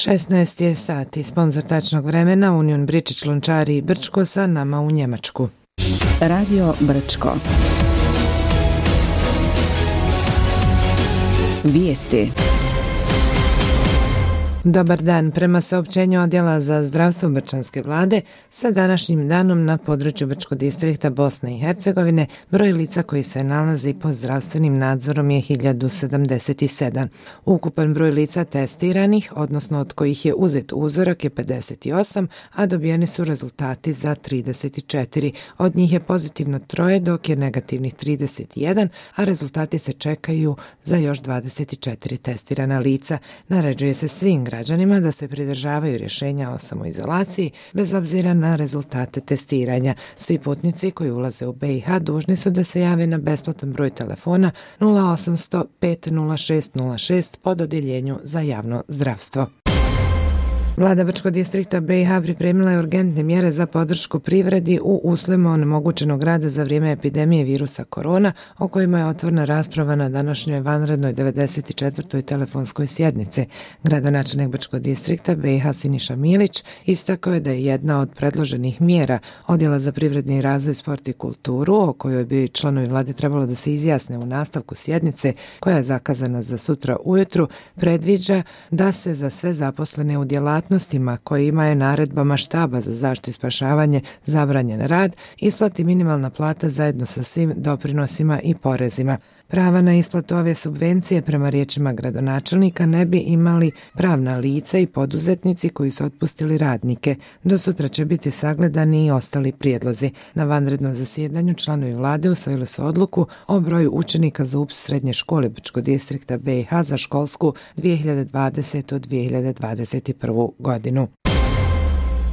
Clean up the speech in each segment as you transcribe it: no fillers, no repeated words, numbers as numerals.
16 je sati, sponzor tačnog vremena Union Bričić Lončari i Brčko sa nama u Njemačku. Radio Brčko. Vijesti. Dobar dan. Prema saopćenju Odjela za zdravstvo Brčanske vlade, sa današnjim danom na području Brčkog distrikta Bosne i Hercegovine broj lica koji se nalazi pod zdravstvenim nadzorom je 1077. Ukupan broj lica testiranih, odnosno od kojih je uzet uzorak, je 58, a dobijeni su rezultati za 34. Od njih je pozitivno 3, dok je negativnih 31, a rezultati se čekaju za još 24 testirana lica. Naređuje se svim građanima da se pridržavaju rješenja o samoizolaciji bez obzira na rezultate testiranja. Svi putnici koji ulaze u BiH dužni su da se jave na besplatan broj telefona 0800 506 06 pod odjeljenju za javno zdravstvo. Vlada Brčkog distrikta BiH pripremila je urgentne mjere za podršku privredi u uslovima onemogućenog rada za vrijeme epidemije virusa korona, o kojima je otvorena rasprava na današnjoj vanrednoj 94. telefonskoj sjednici. Gradonačelnik Brčkog distrikta BiH Siniša Milić istakao je da je jedna od predloženih mjera Odjela za privredni razvoj, sport i kulturu, o kojoj bi članovi vlade trebalo da se izjasne u nastavku sjednice, koja je zakazana za sutra ujutru, predviđa da se za sve zaposlene u djelatnostima kojima je naredbama štaba za zaštitu i spašavanje zabranjen rad isplati minimalna plata zajedno sa svim doprinosima i porezima. Prava na isplatu ove subvencije prema riječima gradonačelnika ne bi imali pravna lica i poduzetnici koji su otpustili radnike. Do sutra će biti sagledani i ostali prijedlozi. Na vanrednom zasjedanju članovi vlade usvojili su odluku o broju učenika za upis srednje škole Brčkog distrikta BiH za školsku 2020-2021. godinu.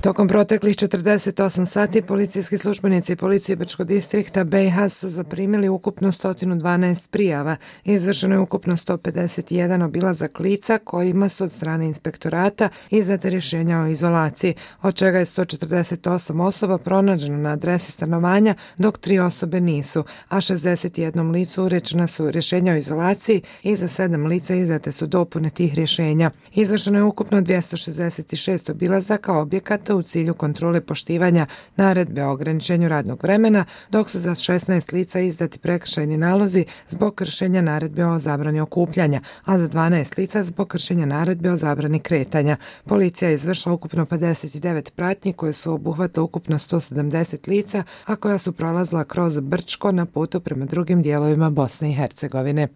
Tokom proteklih 48 sati policijski službenici policije Brčkog distrikta BiH su zaprimili ukupno 112 prijava. Izvršeno je ukupno 151 obilazak lica kojima su od strane inspektorata izdate rješenja o izolaciji, od čega je 148 osoba pronađeno na adresi stanovanja, dok 3 osobe nisu, a 61 licu urečena su rješenja o izolaciji i za 7 lica izdate su dopune tih rješenja. Izvršeno je ukupno 266 obilazaka objekata u cilju kontrole poštivanja naredbe o ograničenju radnog vremena, dok su za 16 lica izdati prekršajni nalozi zbog kršenja naredbe o zabrani okupljanja, a za 12 lica zbog kršenja naredbe o zabrani kretanja. Policija je izvršila ukupno 59 pratnji koje su obuhvatile ukupno 170 lica, a koja su prolazila kroz Brčko na putu prema drugim dijelovima Bosne i Hercegovine.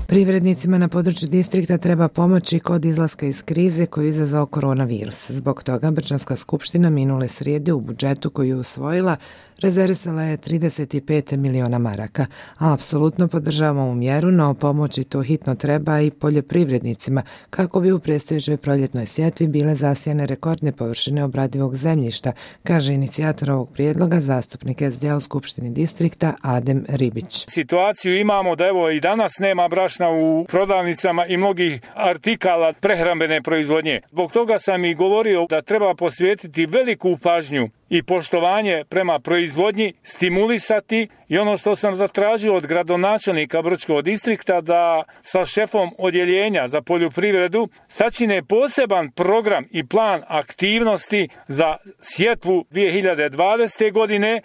Privrednicima na području distrikta treba pomoći kod izlaska iz krize koju je izazvao koronavirus. Zbog toga Brčanska skupština minule srijede u budžetu koju je usvojila rezervisala je 35 miliona maraka, a apsolutno podržavamo ovu mjeru, no pomoći to hitno treba i poljoprivrednicima kako bi u predstojećoj proljetnoj sjetvi bile zasijane rekordne površine obradivog zemljišta, kaže inicijator ovog prijedloga, zastupnik SDA u Skupštini distrikta Adem Ribić. Situaciju imamo da evo i danas nema brašna u prodavnicama i mnogih artikala prehrambene proizvodnje. Zbog toga sam i govorio da treba posvetiti veliku pažnju i poštovanje prema proizvodnji, stimulisati, i ono što sam zatražio od gradonačelnika Brčkog distrikta da sa šefom odjeljenja za poljoprivredu sačine poseban program i plan aktivnosti za sjetvu 2020. godine.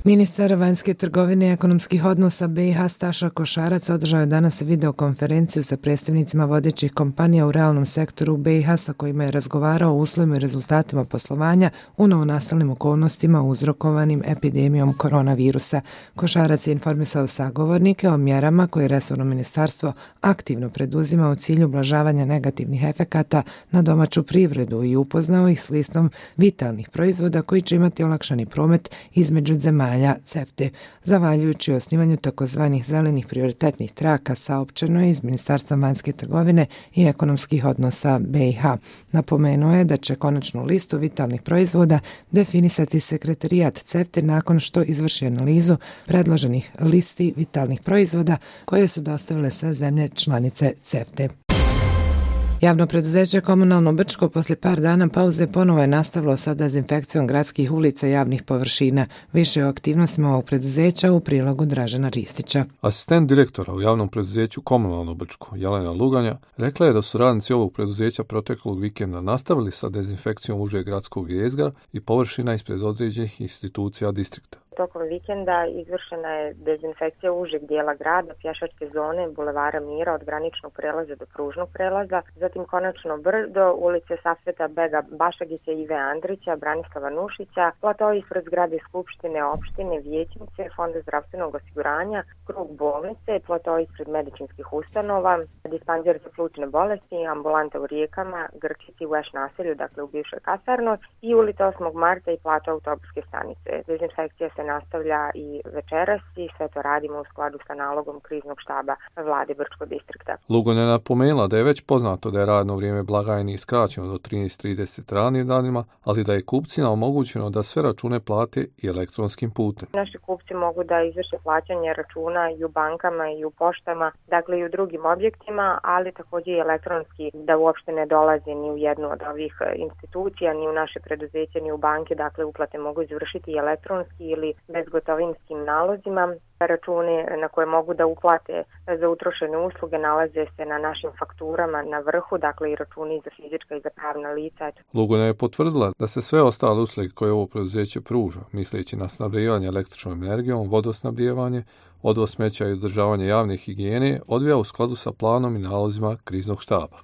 Ministar vanjske trgovine i ekonomskih odnosa BiH Staša Košarac održao je danas videokonferenciju sa predstavnicima vodećih kompanija u realnom sektoru BiH sa kojima je razgovarao o uslovima i rezultatima poslovanja u novonastalim okolnostima uzrokovanim epidemijom koronavirusa. Košarac je informisao sagovornike o mjerama koje resorno ministarstvo aktivno preduzima u cilju ublažavanja negativnih efekata na domaću privredu i upoznao ih s listom vitalnih proizvoda koji će imati olakšani promet između zemalja CEFTA. Zavaljujući osnivanju takozvanih zelenih prioritetnih traka, saopćeno je iz Ministarstva vanjske trgovine i ekonomskih odnosa BiH. Napomenuo je da će konačnu listu vitalnih proizvoda definisati sekretarijat CEFTA nakon što izvrši analizu predloženih listi vitalnih proizvoda koje su dostavile sve zemlje članice CEFTA. Javno preduzeće Komunalno Brčko poslije par dana pauze ponovo je nastavilo sa dezinfekcijom gradskih ulica i javnih površina. Više o aktivnostima ovog preduzeća u prilogu Dražena Ristića. Asistent direktora u javnom preduzeću Komunalno Brčko, Jelena Luganja, rekla je da su radnici ovog preduzeća proteklog vikenda nastavili sa dezinfekcijom užeg gradskog jezgra i površina ispred određenih institucija distrikta. Tokom vikenda izvršena je dezinfekcija užeg dijela grada, pješačke zone, bulevara Mira od graničnog prelaza do pružnog prelaza, zatim Konačno brdo, ulice Safeta Bega Bašagića, Ive Andrića, Branislava Nušića, plato ispred zgrade Skupštine, opštine, vijećnice, Fonda zdravstvenog osiguranja, krug bolnice, plato ispred medicinskih ustanova, dispanzer za plućne bolesti, ambulanta u Rijekama, Grčici u Eš naselju, dakle u bivšoj kasarnoj, i ulica 8. marta i plato autobuske stanice. Dezinfekcija se nastavlja i večeras i sve to radimo u skladu sa nalogom kriznog štaba vlade Brčkog distrikta. Luganja je napomenula da je već poznato da je radno vrijeme blagajni skraćeno do 13:30 ranim danima, ali da je kupcima omogućeno da sve račune plate i elektronskim putem. Naši kupci mogu da izvrše plaćanje računa i u bankama i u poštama, dakle i u drugim objektima, ali također i elektronski, da uopšte ne dolaze ni u jednu od ovih institucija, ni u naše preduzeće, ni u banke, dakle uplate mogu izvršiti i elektronski ili bezgotovinskim nalozima. Računi na koje mogu da uplate za utrošene usluge nalaze se na našim fakturama na vrhu, dakle i računi za fizička i za pravna lica. Luganja je potvrdila da se sve ostale usluge koje ovo preduzeće pruža, misleći na snabdijevanje električnom energijom, vodosnabdijevanje, odvoz smeća i održavanje javne higijene, odvija u skladu sa planom i nalozima kriznog štaba.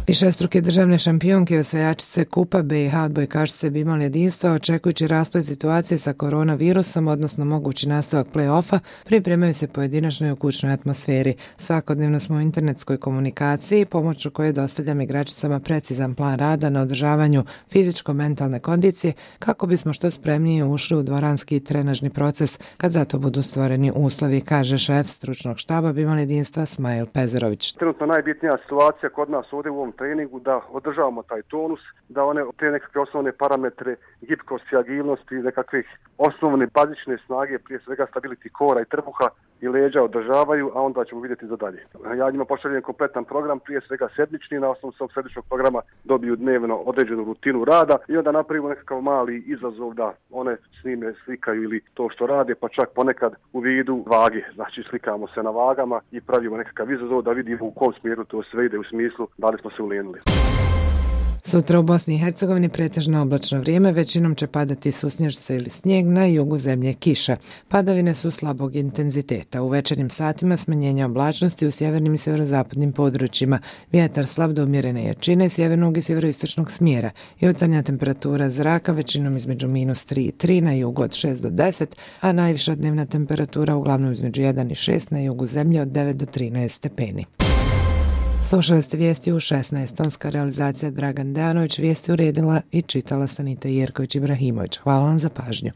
Višestruke državne šampionke i osvajačice Kupa BiH odbojkašice bi imali jedinstva, očekujući rasplet situacije sa koronavirusom, odnosno mogući nastavak play-offa, pripremaju se pojedinačno i u kućnoj atmosferi. Svakodnevno smo u internetskoj komunikaciji, pomoću koje dostavljam igračicama precizan plan rada na održavanju fizičko-mentalne kondicije, kako bismo što spremnije ušli u dvoranski trenažni proces, kad za to budu stvoreni uslovi, kaže šef stručnog štaba bi imali jedinstva Smajl Pezerović. Trenutno najbitnija situacija kod nas ovdje u ovom treningu da održavamo taj tonus, da one te nekakve osnovne parametre gibkosti, agilnosti, nekakvih osnovne bazične snage, prije svega stability kora i trbuha i leđa održavaju, a onda ćemo vidjeti za dalje. Ja njima pošaljem kompletan program, prije svega sedmični, na osnovu svog sedmičnog programa dobiju dnevno određenu rutinu rada i onda napravimo nekakav mali izazov da one snime, slikaju ili to što rade, pa čak ponekad u vidu vage. Znači slikamo se na vagama i pravimo nekakav izazov da vidimo u kom smjeru to sve ide, u smislu da li smo se ulenili. Sutra u Bosni i Hercegovini pretežno oblačno vrijeme, većinom će padati susnježice ili snijeg, na jugu zemlje kiša. Padavine su slabog intenziteta. U večernjim satima smanjenje oblačnosti u sjevernim i sjeverozapadnim područjima. Vjetar slab do umjerene jačine sjevernog i sjeveroistočnog smjera. Jutarnja temperatura zraka većinom između -3 i 3, na jugu od 6 do 10, a najviša dnevna temperatura uglavnom između 1 i 6, na jugu zemlje od 9 do 13 stepeni. Slušali ste vijesti u 16. Tonska realizacija Dragan Dejanović, vijesti uredila i čitala Sanita Jerković Ibrahimović. Hvala vam za pažnju.